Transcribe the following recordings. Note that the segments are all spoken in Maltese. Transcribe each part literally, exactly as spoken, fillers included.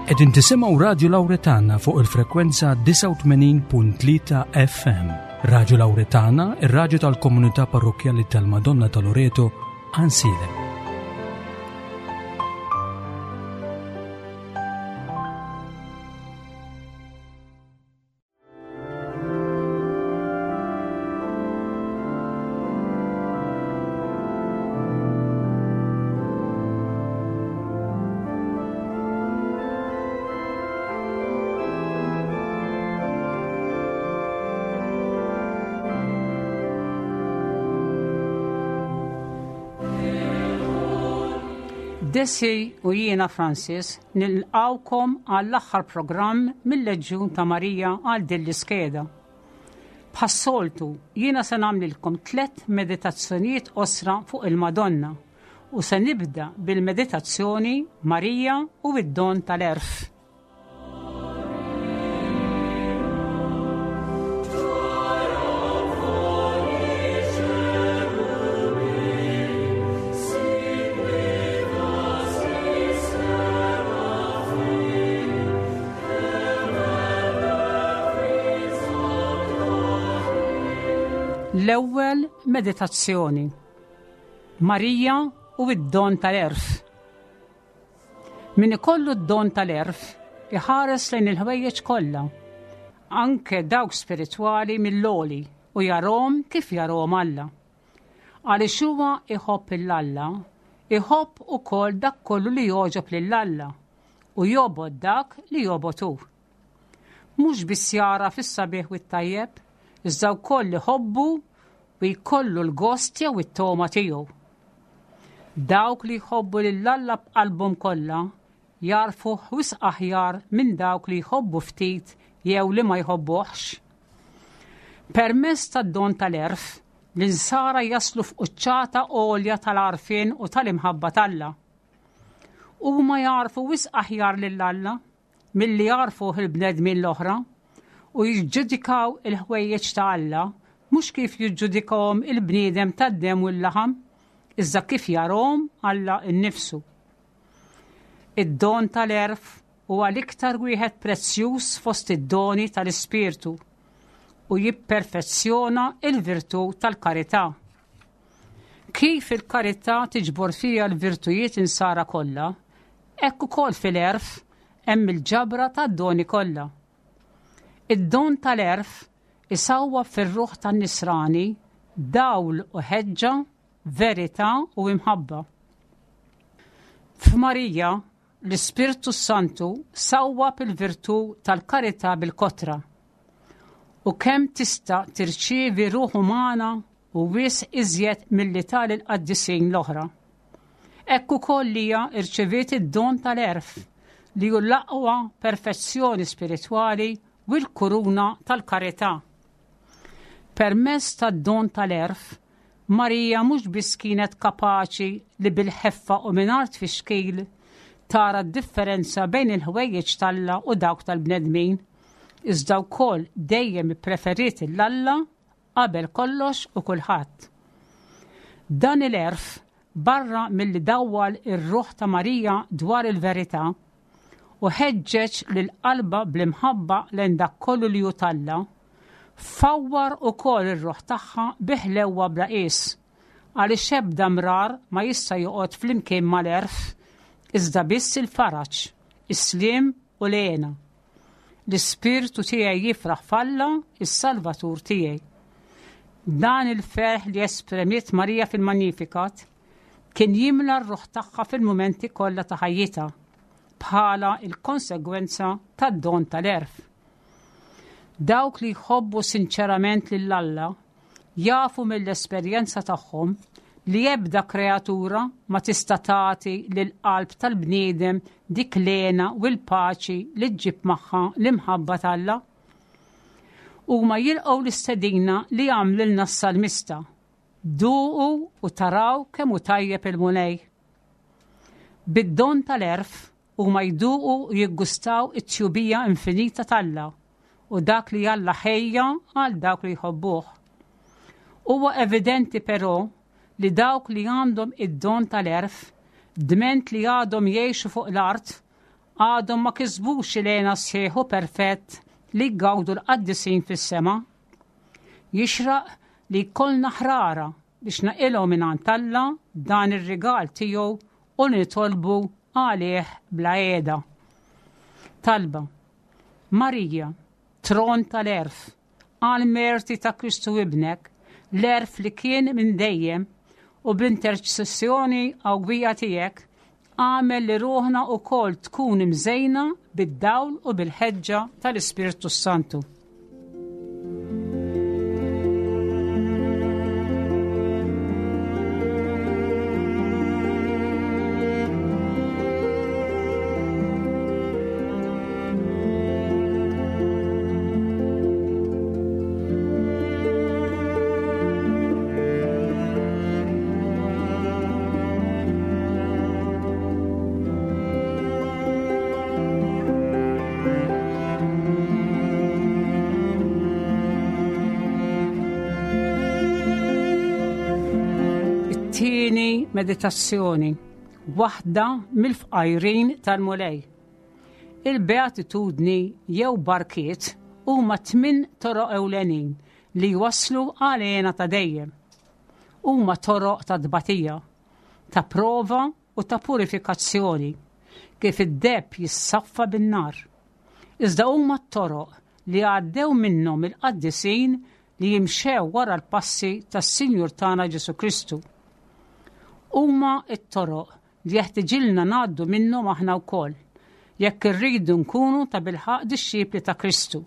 Qegħdin tisimgħu Radio Lauretana fuq il-frekwenza disgħa u tmenin punt tlieta F M. Radio Lauretana, ir-radju tal-komunità parrokjali tal-Madonna ta' Loreto, Għajnsielem. Desi u jiena Francis nilqawkom għall-aħħar programm mill-Leġjun ta' Marija għal din l-iskeda. Bħas-soltu, jiena se nagħmlilkom tliet meditazzjonijiet qosra fuq il-Madonna u se nibda bil-meditazzjoni Marija u id-don tal-għerf. L-ewwel meditazzjoni. Marija u id-don tal-għerf. Min ikollu d-don tal-għerf iħares lejn il-ħwejjeġ kollha, anke dawk spiritwali mill-għoli, u jarahom kif jarahom Alla. Għaliex huwa iħobb lil Alla, iħobb ukoll dak kollu li jogħġob lil Alla u jobgħod dak li jobgħod hu. Mhux biss jara fis-sabiħ u t-tajjeb, iżda wkoll iħobbu u jkollu l-gost jew it-togħma tiegħu. Dawk li jħobbu lil Alla b'qalbhom kollha jagħrfu wisq aħjar minn dawk li jħobbu ftit jew li ma jħobbuhx. Permezz tad-don tal-għerf, l-insara jaslu f'quċċata għolja tal-għarfien u tal-imħabba t'Alla. Huma jagħrfu wisq aħjar lil Alla milli jagħrfuh il-bnedmin l-oħra u jiġġudikaw il-ħwejjeġ ta' Alla mhux kif jiġġudikahom il-bniedem tad-dem u l-laħam, iżda kif jarahom Alla innifsu. Id-don tal-għerf huwa l-iktar wieħed prezzjuż fost id-doni tal-Ispirtu u jipperfezzjona il-virtù tal-karità. Kif il-karità tiġbor fiha l-virtujiet insara kollha, hekk ukoll fil-għerf hemm il-ġabra tad-doni kollha. Id-don tal-għerf isawwab fir-ruħ tan-nisrani dawl u ħeġġa, verità u imħabba. F'Marija, l-Ispirtu Santu sawwab il-virtù tal-karità bil-kotra. U kemm tista' tirċievi ruħ umana u wisq iżjed milli tal-qaddisin l-oħra. Hekk ukoll hija rċeviet id-don tal-għerf li hu l-aqwa perfezzjoni spiritwali u l-kuruna tal-karità. Permezz tad-don tal-għerf, Marija mhux biss kienet kapaċi li bil-ħeffa u mingħajr tfixkil tara d-differenza bejn il-ħwejjeġ t'Alla u dawk tal-bnedmin, iżda wkoll dejjem ippreferiet 'l Alla qabel kollox u kulħadd. Dan il-għerf barra milli dawwal ir-ruħ ta' Marija dwar il-verità u ħeġġeġ lil qalbha bl-imħabba lejn dak kollu li hu t'Alla, fawwar ukoll ir-ruħ tagħha bi ħlewwa bla qies, għaliex ebda mrar ma jista' joqgħod flimkien mal-għerf, iżda biss il-faraġ, is-sliem u l-hena. L-ispirtu tiegħi jifraħ f'Alla, is-Salvatur tiegħi. Dan il-ferħ li esprimiet Marija fil-Magnificat kien jimla r-ruħ tagħha fil-mumenti kollha ta' ħajjitha bħala il-konsegwenza tad-don tal-għerf. Dawk li jħobbu sinċerament lil Alla jafu mill-esperjenza tagħhom li ebda kreatura ma tista' tagħti lil qalb tal-bniedem dik l-hena u l-paċi li ġġib magħha l-imħabba t'Alla. Huma jilqgħu l-istedina li għamlilna s-salmista. Duqu u taraw kemm hu tajjeb il-Mulej. Bid-don tal-għerf huma jduqu u jiggustaw it-tjubija infinita t'Alla u dak li Alla ħejja għal dawk li jħobbuh. Huwa evidenti però li dawk li għandhom id-don tal-għerf, dment li għadhom jgħixu fuq l-art, għadhom ma kisbux il-hena sħiħ u perfett li jgawdu l-qaddisin fis-sema. Jixraq li jkollna ħrara biex naqilgħu mingħand Alla dan ir-rigal tiegħu u nitolbu għalih bla qiegħda. Talba. Marija, tron tal-għerf, għal merti ta' Kristu ibnek, l-għerf li kien minn dejjem u b'interċessjoni qawwija tiegħek, għamel li ruħna wkoll tkun imżejna bid-dawl u bil-ħeġġa tal-Ispirtu Santu. Tieni meditazzjoni, waħda mill-fqajrin tal-Mulej. Il-beatitudni jew barkiet huma tmien toroq ewlenin li jwasslu għal hena ta' dejjem. Huma toroq ta' tbatija, ta' prova u ta' purifikazzjoni, kif id-deheb jissaffa bin-nar. Iżda huma t-toroq li għaddew minnhom il-qaddisin li jimxew wara l-passi tas-Sinjur tagħna Ġesù Kristu. Huma t-toroq li jeħtiġilna ngħaddu minnhom aħna wkoll, jekk irridu nkunu ta' bilħaqq dixxipli ta' Kristu,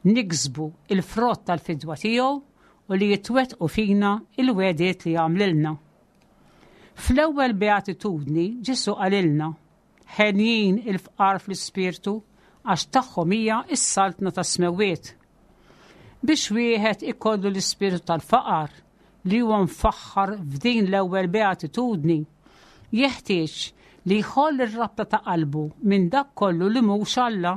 niksbu il-frott tal-fidwa tiegħu u li jitwettqu fina il-wegħdiet li għamlilna. Fl-ewwel beatitudni Ġesù qalilna, ħenjin il-fqar fl-ispirtu għax tagħhom hija s-saltna tas-smewwiet. Biex wieħed ikollu l-ispirtu tal-faqar li huwa mfaħħar f'din l-ewwel beatitudni, jeħtieġ li jħoll ir-rabta ta' qalbu minn dak kollu li mhux Alla.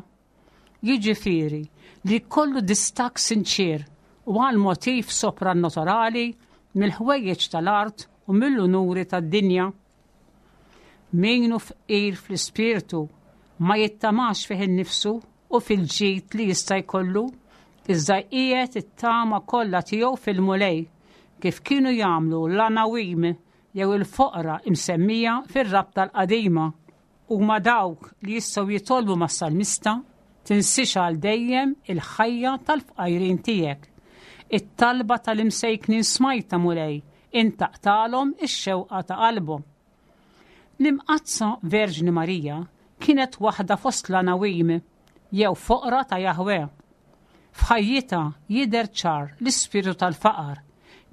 Jiġifieri li jkollu distakk sinċir u għal motiv soprannaturali mill-ħwejjeġ tal-art u mill-unuri tad-dinja. Min hu fqir fl-ispirtu ma jittamax fih innifsu u fil-ġid li jista' jkollu, iżda jqiegħed it-tama kollha tiegħu fil-Mulej, kif kienu jagħmlu l-anawim jew il-foqra imsemmija fir-rabta l-qadima. Huma dawk li jistgħu jitolbu mas-salmista, tinsiex għal dejjem il-ħajja tal-fqajrin tiegħek. It-talba tal-imsejknin smajta Mulej, intaqtalhom ix-xewqa ta' qalbhom. L-Imqaddsa Verġni Marija kienet waħda fost l-anawim jew foqra ta' Jahwe. F'ħajjitha jidher ċar l-ispirtu tal-faqar,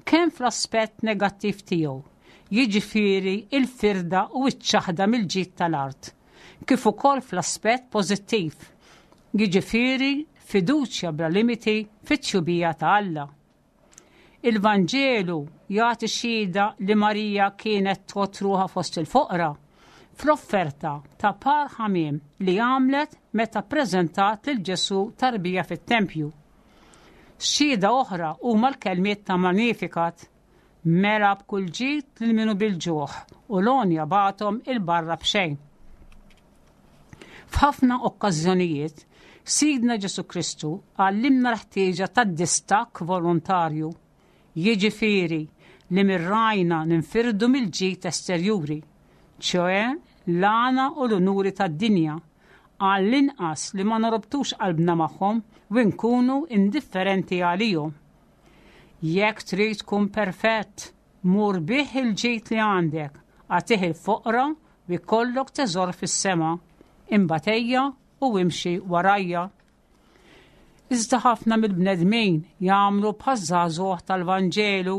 kemm fl-aspett negattiv tiegħu, jiġifieri il-firda u ċ-ċaħda mill-ġid tal-art, kif ukoll fl-aspett pożittiv, jiġifieri fiduċja bla limiti fit-tjubija ta' Alla. Il-Vanġelu jagħti xhieda li Marija kienet tgħodd ruħha fost il-foqra fl-offerta ta' par ħamiem li għamlet meta ppreżentat lil Ġesù tarbija fit-tempju. Xhieda oħra huma l-kelmiet ta' Magnificat, mela b'kull ġid lil minu bil-ġuħ u l-għonja bagħthom il-barra b'xejn. F'ħafna okkażjonijiet, Sidna Ġesù Kristu għallimna l-ħtieġa tad-distakk volontarju, jiġifieri li mirrajna ninfirdu mill-ġid esterjuri, ċoe l-għana u l-unuri tad-dinja, għall-inqas li ma norbtux qalbna magħhom u nkunu indifferenti għalihom. Jekk trid tkun perfett, mur bih il-ġid li għandek, agħtih il-foqra u jkollok teżor fis-sema, imbagħad ejja u imxi warajja. Iżda ħafna mill-bnedmin jagħmlu bħaż-żagħżugħ tal-Vanġelu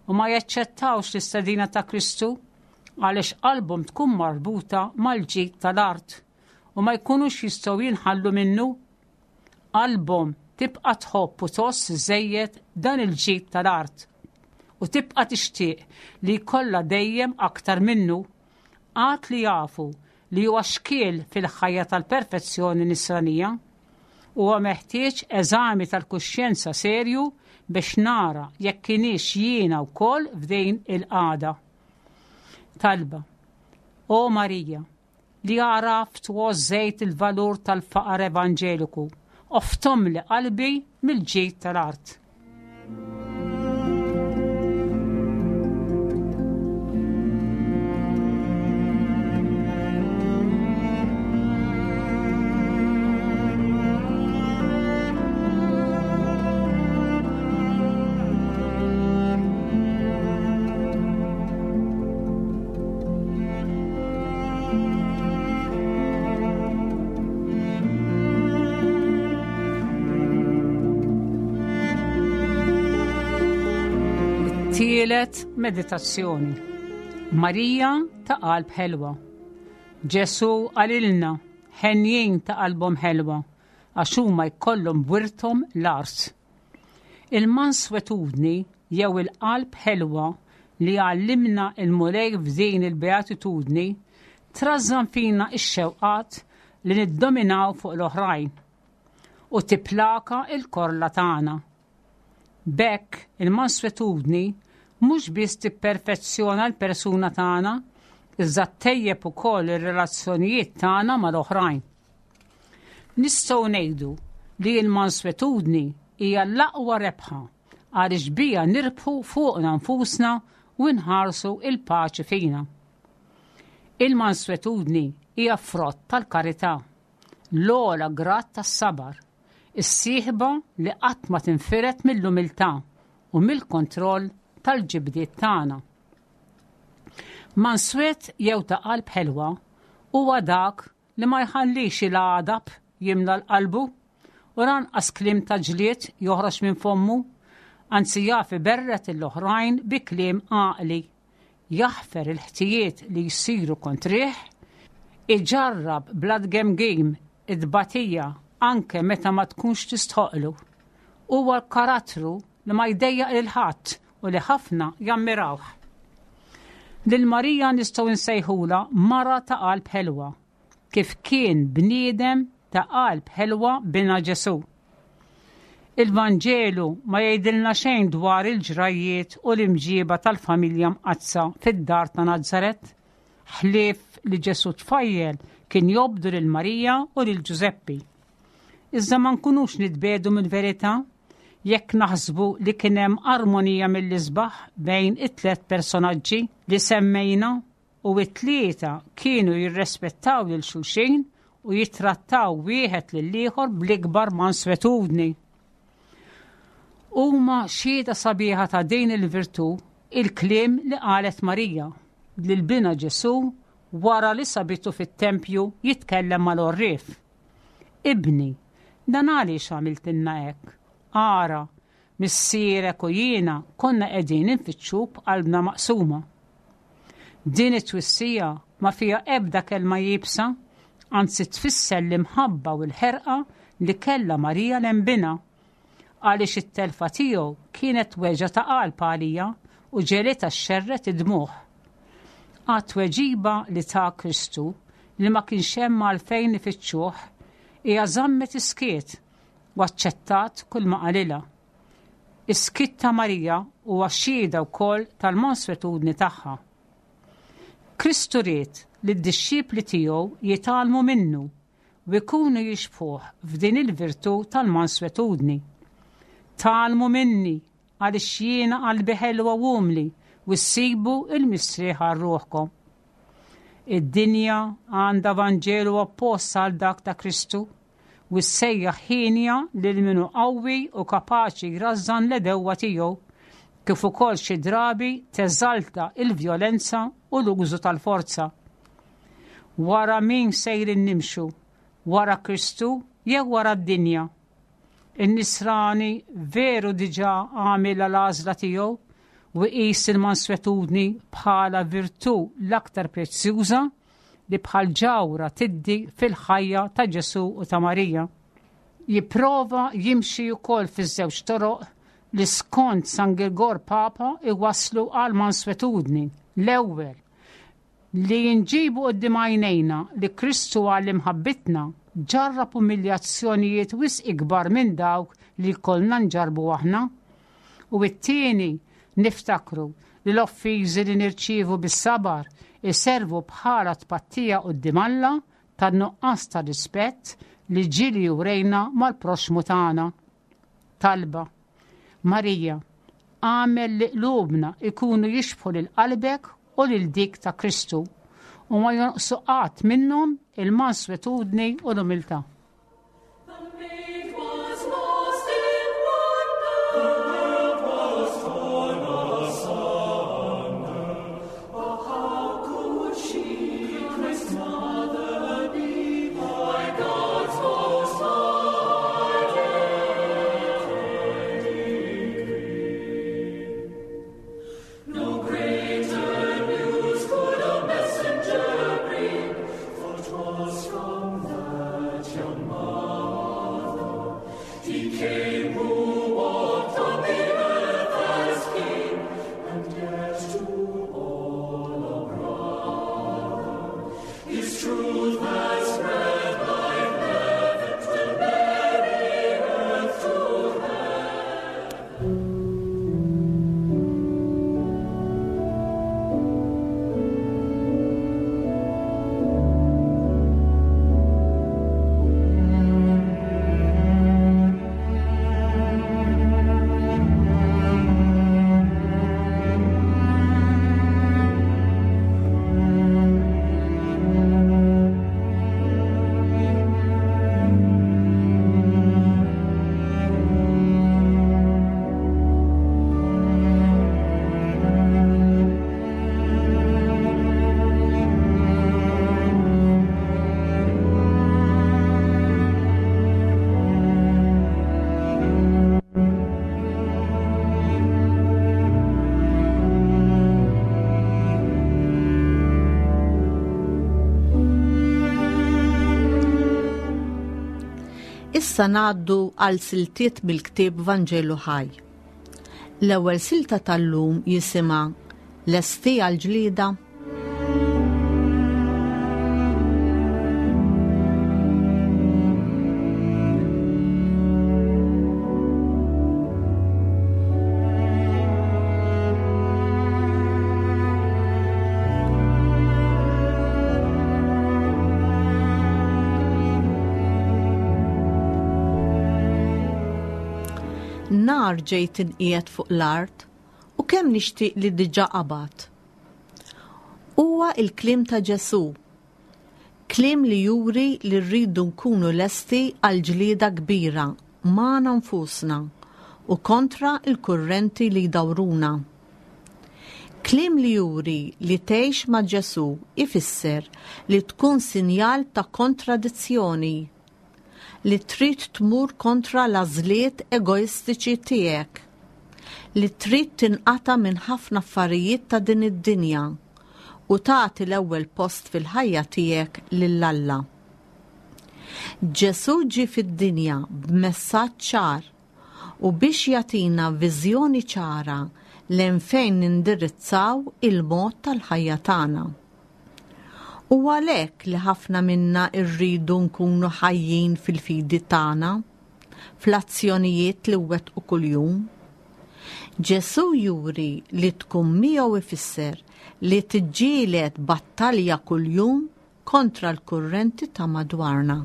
u ma jaċċettawx l-istedina ta' Kristu għaliex qalbhom tkun marbuta mal-ġid tal-art u ma jkunux jistgħu jinħallu minnu. Qalbhom tibqa' tħobb u tgħożż żejjed dan il-ġid tal-art u tibqa' tixtieq li jkollha dejjem aktar minnu, għad li jafu li huwa xkiel fil-ħajja tal-perfezzjoni nisranija. Huwa meħtieġ eżami tal-kuxjenza serju biex nara jekk kienix jiena wkoll f'din il-qagħda. Talba. O Marija, li għaraft u għożżejt il-valur tal-faqar evanġeliku, oftomli qalbi mill-ġid tal-art. Tielet meditazzjoni. Marija ta' qalb ħelwa. Ġesù qalilna, henjin ta' qalbhom ħelwa, għax huma jkollhom b'wirthom l-art. Il-manswetudni jew il-qalb ħelwa li għallimna il-Mulej f'din il-beatitudni trażżan fina x-xewqat li niddominaw fuq l-oħrajn u tipplaka il-korla tagħna. B'hekk il-manswetudni mhux biss tipperfezzjona l-persuna tagħna, iżda ttejjeb ukoll ir-relazzjonijiet tagħna mal-oħrajn. Nistgħu ngħidu li l-manswetudni hija l-aqwa rebħa għaliex bija nirbħu fuqna nfusna u nħarsu il-paċi fina. Il-manswetudni hija frott tal-karità, l-ogħla grad tas-sabar, is-sieħba li qatt ma tinfired mill-umiltà u mill-kontroll tal-ġibdiet tagħna. Manswet jew ta' qalb ħelwa huwa dak li ma jħallix il-għadab jimla l-qalbu u lanqas kliem ta' ġlied joħroġ minn fommu, anzi jaf iberret l-oħrajn bi kliem għaqli, jaħfer il-ħtijiet li jsiru kontrih, iġarrab bla tgemgim id-batija anke meta ma tkunx tistħoqlu. Huwa l-karattru li ma jdejjaq lil ħadd u li ħafna jammirawh. Lil Marija nistgħu nsejħula mara ta' qalb ħelwa, kif kien bniedem ta' qalb ħelwa bina Ġesù. Il-Vanġelu ma jgħidilna xejn dwar il-ġrajiet u l-imġiba tal-familja mqaddsa fid-dar ta' Nazaret, ħlief li Ġesù tfajjel kien jobdu lil Marija u lil Ġużeppi. Iżda ma nkunux nitbedu mill-verità jekk naħsbu li kien hemm armonija mill-isbaħ bejn it-tliet personaġġi li semmejna u it-tlieta kienu jirrespettaw lil xulxin u jittrattaw wieħed lil ieħor bl-ikbar manswetudni. Huma xhieda sabiħa ta' din il-virtù il-kliem li qalet Marija lil bina Ġesù wara li sabitu fit-tempju jitkellem mal-għorrief. Ibni, dan għaliex għamiltilna hekk? Ara, missierek u jiena konna qegħdin infittxuk b'qalbna maqsuma. Din it-twissija ma fiha ebda kelma iebsa, anzi tfisser l-imħabba u l-ħerqa li kellha Marija lejn binha, għaliex it-telfa tiegħu kienet weġgħa ta' qalb għalija u ġegħlitha xxerred id-dmugħ. Għat-tweġiba li ta Kristu li ma kienx hemm għalfejn ifittxuh, hija żammet iskiet u aċċettat kull ma qalilha. Is-skiet ta' Marija huwa xhieda wkoll tal-manswetudni tagħha. Kristu ried li d-dixxipli tiegħu jitgħallmu minnu u jkunu jixbħuh f'din il-virtù tal-manswetudni. Tgħallmu minni għaliex jiena qalbi ħelwa u umli u ssibu il-mistrieħ għal ruħkom. Id-dinja għandha Vanġelu oppost għal dak ta' Kristu u ssejjaħ ħienja lil min hu qawwi u kapaċi jrażżan l-għedewwa tiegħu, kif ukoll xi drabi teżalta il-vjolenza u l-użu tal-forza. Wara min sejrin nimxu? Wara Kristu jew wara d-dinja? In-nisrani veru diġà għamilha l-għażla tiegħu u jqis il-manswetudni bħala virtù l-aktar prezzjuża li bħal ġawhra tiddi fil-ħajja ta' Ġesù u ta' Marija. Jipprova jimxi wkoll fiż-żewġ toroq li skont San Girgor Papa iwasslu għal manswetudni. L-ewwel, li nġibu quddiem għajnejna li Kristu għal imħabbitna ġarrab umiljazzjonijiet wisq ikbar minn dawk li kollna nġarbu aħna. U t-tieni, niftakru li l-offiżi li nirċievu bis-sabar iservu bħala tpattija quddiem Alla tan-nuqqas ta' rispett li ġieli urejna mal-proxxmu tagħna. Talba. Marija, agħmel li qlubna ikunu jixbħu lil qalbek u lil dik ta' Kristu u ma jonqsu qatt minnhom il-manswetudni u l-umiltà. The maid was lost in wonder. The world was torn asunder. But how could she, Christ's mother, be by God's most high decree? No greater news could a messenger bring, for 'twas from that young mother he came who walked on the earth as king, and yet to all a brother. His truth has spread like heaven to Mary, earth to heaven. Issa ngħaddu għal siltiet mill-ktieb Vanġelu Ħaj. L-ewwel silta tal-lum jisimha Lesti għall-ġlieda? Nar ġejt inqiegħed fuq l-art u kemm nixtieq li diġà qabad. Huwa il-kliem ta' Ġesù, kliem li juri li rridu nkunu lesti għal ġlieda kbira magħna nfusna u kontra l-kurrenti li jdawruna. Kliem li juri li tgħix ma' Ġesù ifisser li tkun sinjal ta' kontradizzjoni, li trid tmur kontra l-għażliet egoistiċi tiegħek, li trid tinqata' minn ħafna affarijiet ta' din id-dinja u tagħti l-ewwel post fil-ħajja tiegħek lil Alla. Ġesù ġie fid-dinja b'messaġġ ċar u biex jagħtina viżjoni ċara lejn fejn nindirizzaw il-mod tal-ħajja tagħna. U għalhekk li ħafna minna rridu nkunu ħajjin fil-fidi tagħna, fl-azzjonijiet li wettqu kuljum. Ġesù juri li tkun miegħu ifisser li tiġġieled battalja kuljum kontra l-kurrenti ta' madwarna.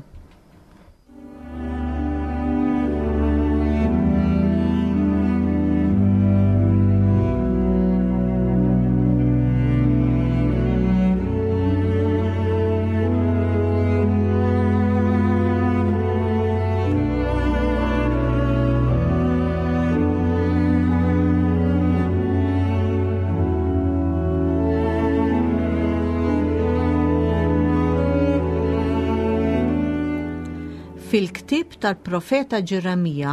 Fil-ktieb tal-profeta Ġeremija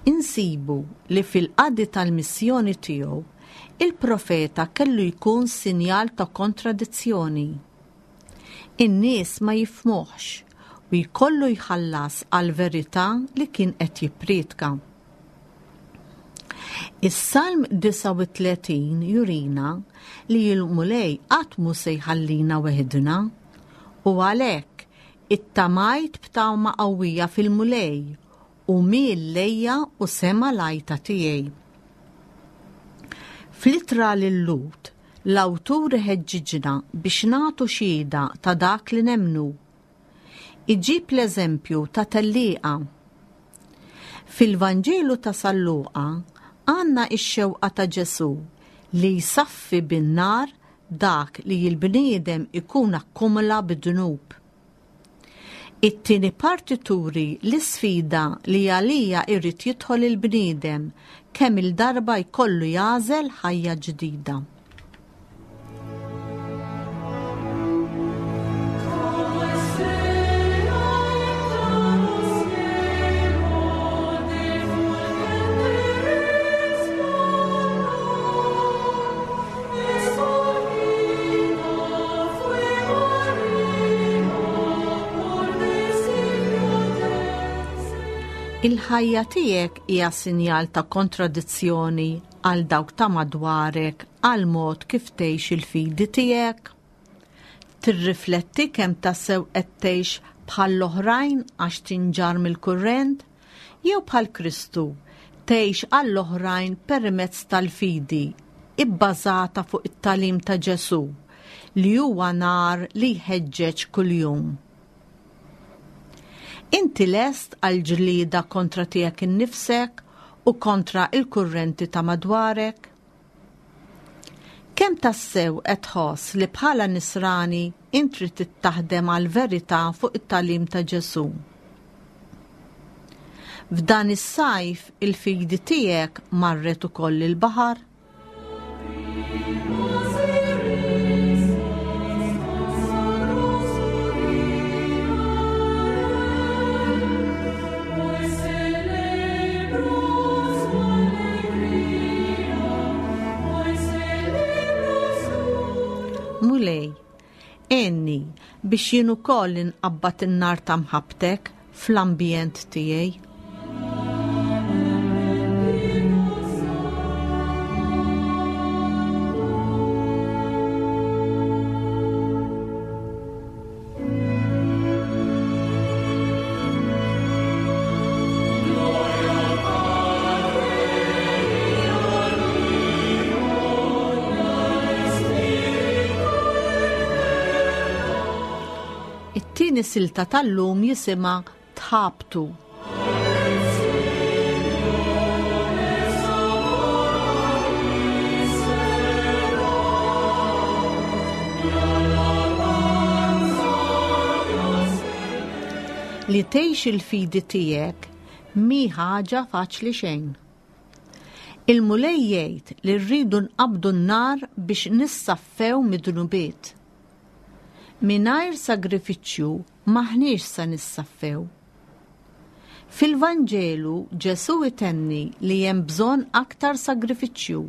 insibu li fil-qadi tal-missjoni tiegħu il-profeta kellu jkun sinjal ta' kontradizzjoni. In-nies ma jifhmuhx u jkollu jħallas għal-verità li kien qed jippriedka. Is-Salm disgħa u tletin jurina li l-Mulej qatt mhu se jħallina weħidna u għalhekk ittamajt b'tama qawwija fil-Mulej u miel lejja u sema l-għajta tiegħi. Fl-ittra lil Lut, L-awtur iħeġġiġna biex nagħtu xhieda ta' dak li nemmnu. Iġib l-eżempju ta' tellieqa. Fil-Vanġelu ta' San Luqa għandna x-xewqa ta' Ġesù li jsaffi bin-nar dak li l-bniedem ikun akkumula bid-dnub. It-tieni parti turi l-isfida li għalija jrid jidħol il-bniedem kemm il-darba jkollu jagħżel ħajja ġdida. Como estrella en claro cielo de fulgente resplandor, escogida fue María por designio del Señor. Il-ħajja tiegħek hija sinjal ta' kontradizzjoni għal dawk ta' madwarek għal mod kif tgħix il-fidi tiegħek. Tirrifletti kemm tassew qed tgħix bħall-oħrajn għax tinġar mill-kurrent jew bħal Kristu tgħix għall-oħrajn permezz tal-fidi ibbażata fuq it-tagħlim ta' Ġesù li huwa nar li jħeġġeġ kuljum. Inti lest għal ġlieda kontra tiegħek innifsek u kontra il-kurrenti ta' madwarek? Kemm tassew qed tħoss li bħala nisrani intri trid taħdem għal verità fuq it-tagħlim ta' Ġesù? F'dan is-sajf il-fidi tiegħek marret ukoll il-baħar? Hoy celebro su alegría, hoy celebro su Mulej, għenni biex jien ukoll inqabbad in-nar ta' mħabbtek fl-ambjent tiegħi. It-tieni silta tal-lum jisimha Tħabtu. Li tgħix il-fidi tiegħek mhi ħaġa faċli xejn. Il-Mulej jgħid li rridu nqabdu n-nar biex nissaffew mid-dnubiet. Mingħajr sagrifiċċju m'aħniex se nissaffew. Fil-Vanġelu Ġesù itenni li hemm bżonn aktar sagrifiċċju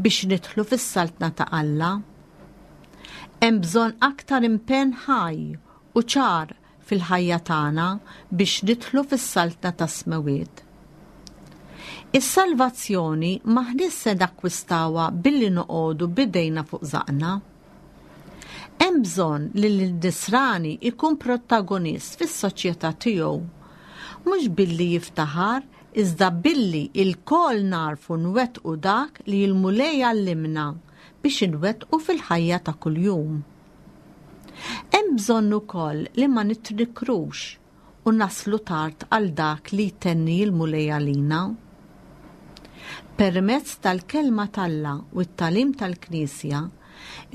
biex nidħlu fis-saltna ta' Alla. Hemm bżonn aktar impenn ħaj u ċar fil-ħajja tagħna biex nidħlu fis-saltna tas-smewwiet. Is-salvazzjoni m'aħniex se nakkwistawha billi noqogħdu bidejna fuq żaqna. Hemm bżonn li l-nisrani ikun protagonist fis-soċjetà tiegħu, mhux billi jiftaħar, iżda billi lkoll narfu nwettqu dak li l-Mulej għallimna biex inwettqu fil-ħajja ta' kuljum. Hemm bżonn ukoll li ma nitnikrux u naslu tard għal dak li jtenni l-Mulej għalina. Permezz tal-kelma t'Alla u t-tagħlim tal-Knisja,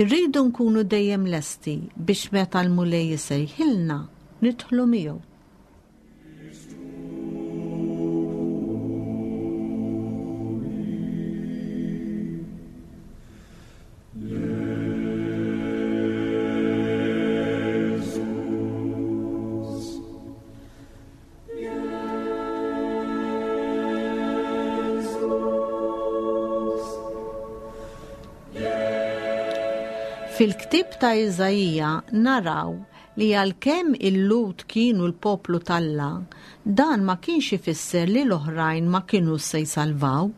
irridu nkunu dejjem lesti biex meta l-Mulej isejħilna nidħlu miegħu. Fil-ktieb ta' Iżaija naraw li għalkemm il-Lhud kienu l-poplu t'Alla, dan ma kienx ifisser li l-oħrajn ma kienu se jsalvaw.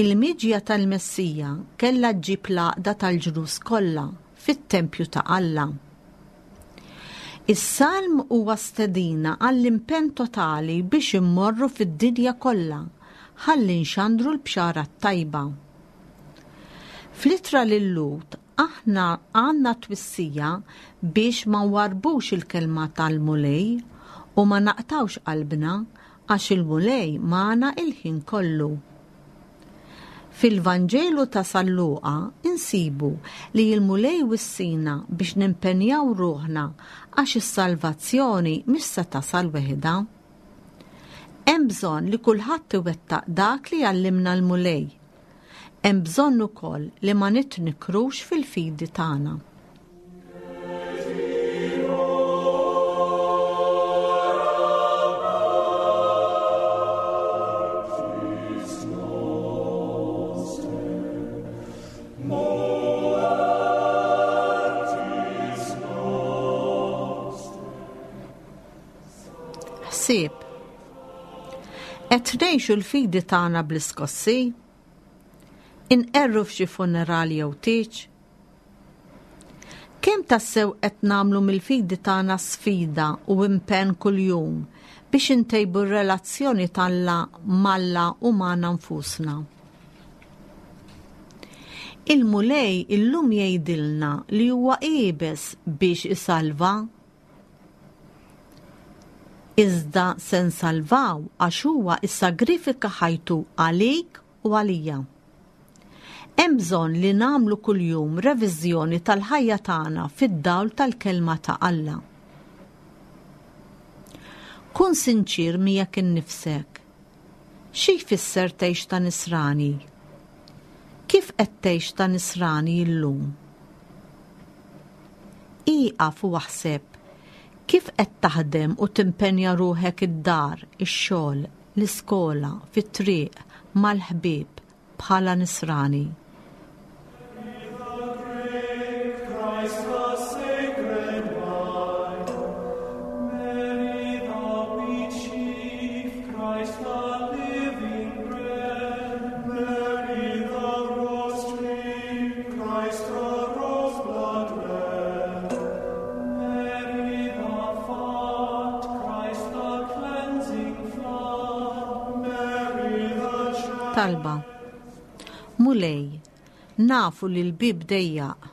Il-miġja tal-Messija kellha ġġib l-għaqda tal-ġnus kollha fit-tempju ta' Alla. Is-salm huwa stedina għall-impenn totali biex immorru fid-dinja kollha ħalli nxandru l-bxara t-tajba. Fl-ittra lil-Lhud aħna għandna twissija biex ma nwarrbux il-kelma tal-Mulej u ma naqtgħux qalbna għax il-Mulej magħna il-ħin kollu. Fil-Vanġelu ta' San Luqa insibu li l-Mulej wissina biex nimpenjaw ruħna għax is-salvazzjoni mhix se tasal weħidha. Hemm bżonn li kulħadd iwettaq dak li għallimna l-Mulej. Hemm bżonn ukoll li ma nitnikrux fil-fidi tagħna. Ħsieb. Qed ngħixu l-fidi tagħna bl-iskossi? Inqerru f'xi funeral jew tieġ? Kemm tassew qed nagħmlu mill-fidi tagħna sfida u impenn kuljum biex intejbu r-relazzjoni t'Alla m'Alla u magħna nfusna? Il-Mulej illum jgħidilna li huwa iebes biex isalva. Iżda se nsalvaw għax huwa issagrifika ħajtu għalik u għalija. Hemm bżonn li nagħmlu kuljum reviżjoni tal-ħajja tagħna fid-dawl tal-kelma ta' Alla. Kun sinċier miegħek innifsek. Xi jfisser tgħix ta' nisrani? Kif qed tgħix ta' nisrani llum? Ieqaf u aħseb kif qed taħdem u timpenja ruħek id-dar, ix-xogħol, l-iskola, fit-triq, mal-ħbieb bħala nisrani. Christ the sacred wine, Mary the wheat sheaf, Christ the living bread, Mary the rose tree, Christ the rose blood red, Mary the font, Christ the cleansing flood, Mary the child. Talba. Mulej, nafu li l-bib dejjaq.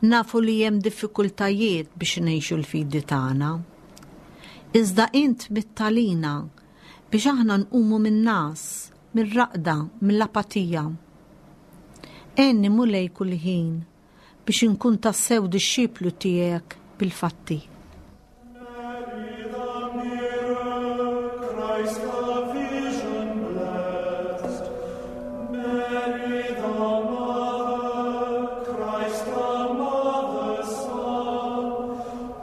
Nafu li hemm diffikultajiet biex ngħixu l-fidi tagħna. Iżda int mittalina biex aħna nqumu min-nas, mir-raqda, mill-apatija. Għenni Mulej kull ħin biex inkun tassew dixxiplu tiegħek bil-fatti. Mary the mirror, Christ the vision blessed, Mary the mother, Christ the mother's son,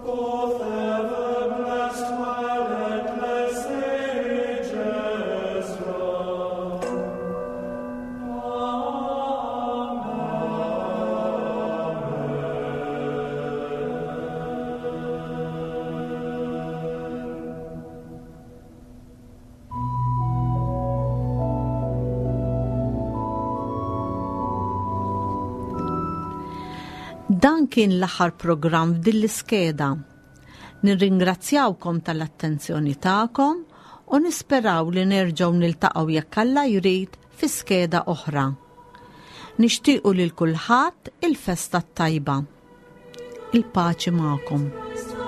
both ever blessed while endless ages run. Dan kien l-aħħar programm f'din l-iskeda. Nirringrazzjawkom tal-attenzjoni tagħkom u nisperaw li nerġgħu niltaqgħu jekk Alla jrid fi skeda oħra. Nixtiequ lil kulħadd il-festa t-tajba. Il-paċi magħkom. Christ the